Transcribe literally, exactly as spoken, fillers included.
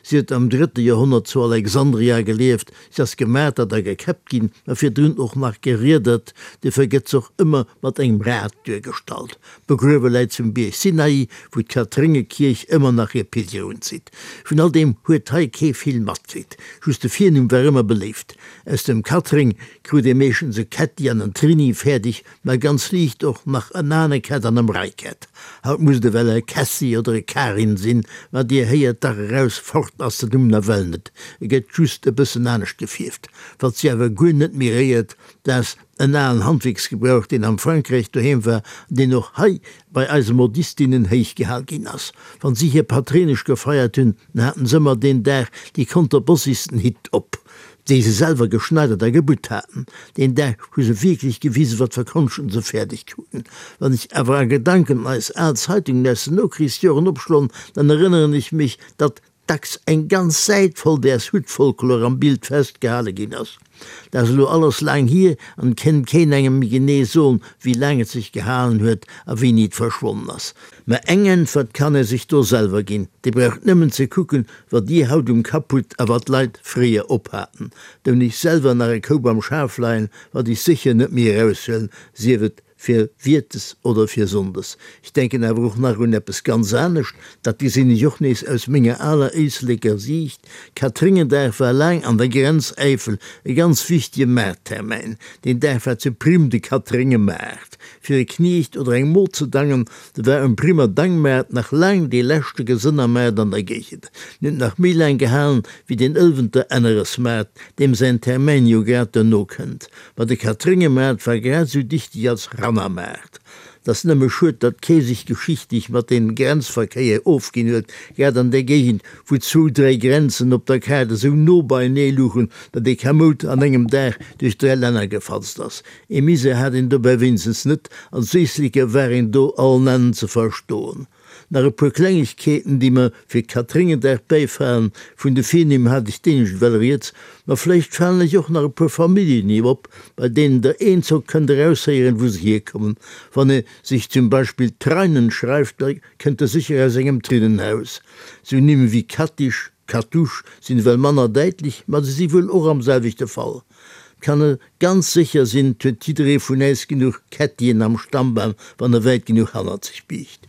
Si huet am drëtte Joerhonnert zu Alexandria gelieft. Si ass gemartert a gekäppt ginn, ma virdrun och nach geriedert. Duerfir gëtt se och ëmmer mat engem Rad duergestallt. Begruewe läit s'um Bierg Sinai, wou d'Katréngekierch ëmmer nach hir Pilger unzitt. Vun all deem huet hei kee vill matkritt. Just de Virnumm war ëmmer beléift. Aus dem Katréng krut ee meeschtens e Kätti an en Trini fäerdeg, ma ganz liicht och nach en Anekett an e Mreikett. Haut muss et ewell e Kässi oder e Karin sinn, ma dir héiert dach eraus, fort ass den Numm nawell net, e gëtt just e bëssen anescht gefierft. Wat si awer guer net méi réiert, dat ass en alen Handwierksgebrauch, deen am Frankräich doheem war an deen och hei bei eise Modistinnen héich gehal ginn ass. Wann si hir Patréinesch gefeiert hunn, dann haten s'ëmmer deen Dag déi konterbossigsten Hitt op, déi se selwer geschneidert a gebutt haten. Deen Dag hu se wierklech gewisen, wat fir Konschten se fäerdeg kruten. Wann ech awer a Gedanken eis al Zeitungen aus den Nokrichsjoren opschloen, dann erënneren ech mech, datt dacks eng ganz Säit voll däers Huttfolklor am Bild festgehale ginn ass. Dat ass elo alles laang hier an et kennt keen engem méi genee soen, wéi laang et sech gehalen huet a wéini et verschwonnen ass. Mä eng Äntwert kann ee sech do selwer ginn, Dir braucht nëmmen ze kucken, wat Dir haut um Kapp hutt a wat d'Leit fréier ophaten. Do hunn ech selwer nach e Koup am Schaf leien, wat ech sécher net méi eraushuelen, sief et fir Wiertes oder fir Sonndes. Ech denken awer och nach un eppes ganz anescht, dat gesinn ech och nees aus menger aler Éisleker Siicht, Katréngendag war laang an der Grenzäifel e ganz wichtege Maarttermäin. Deen Dag war zu Prim de Katréngemaart. Fir e Kniecht oder eng Mod ze dangen, do war um Primer Dangmaart nach laang dee leschte Gesënnermaart an der Géigend. En huet nach méi laang gehalen wéi den Ëlwenter Enneresmaart, deem säin Termäin jo grad duerno kënnt. Ma de Katréngemaart war grad esou dichteg als Rannermaart. 't ass nëmme schued, datt kee sech geschichtlech mat deem Grenzverkéier ofginn huet, grad an där Géigend, wou zwou, dräi Grenzen op der Kaart esou no beienee luchen, datt ee kamoud an engem Dag duerch dräi Länner gefatzt ass. Ee Misär hat een dobäi wéinstens net, als Éisleker war een do allen Ennen ze verstoen. Nach e puer Klengegkeeten, déi mer fir Katréngendag bäifalen, Vun de Virnimm hat ech d'éinescht ewell rieds, ma vläicht falen lech och nach e puer Familljennimm op, bei deenen der eenzock kënnt eraushéieren, wou se hierkommen. Wann e sech zum Beispill Treinen schreift, da kënnt e sécher aus engem Trinnenhaus. Sou Nimm wéi Kattisch, Kattusch sinn ewell manner däitlech, ma se si wuel och am selwechte Fall. 't kann e ganz sécher sinn, 't huet jidderee vun äis genuch Kättien am Stammbam, wann e wäit genuch hannerzeg biicht.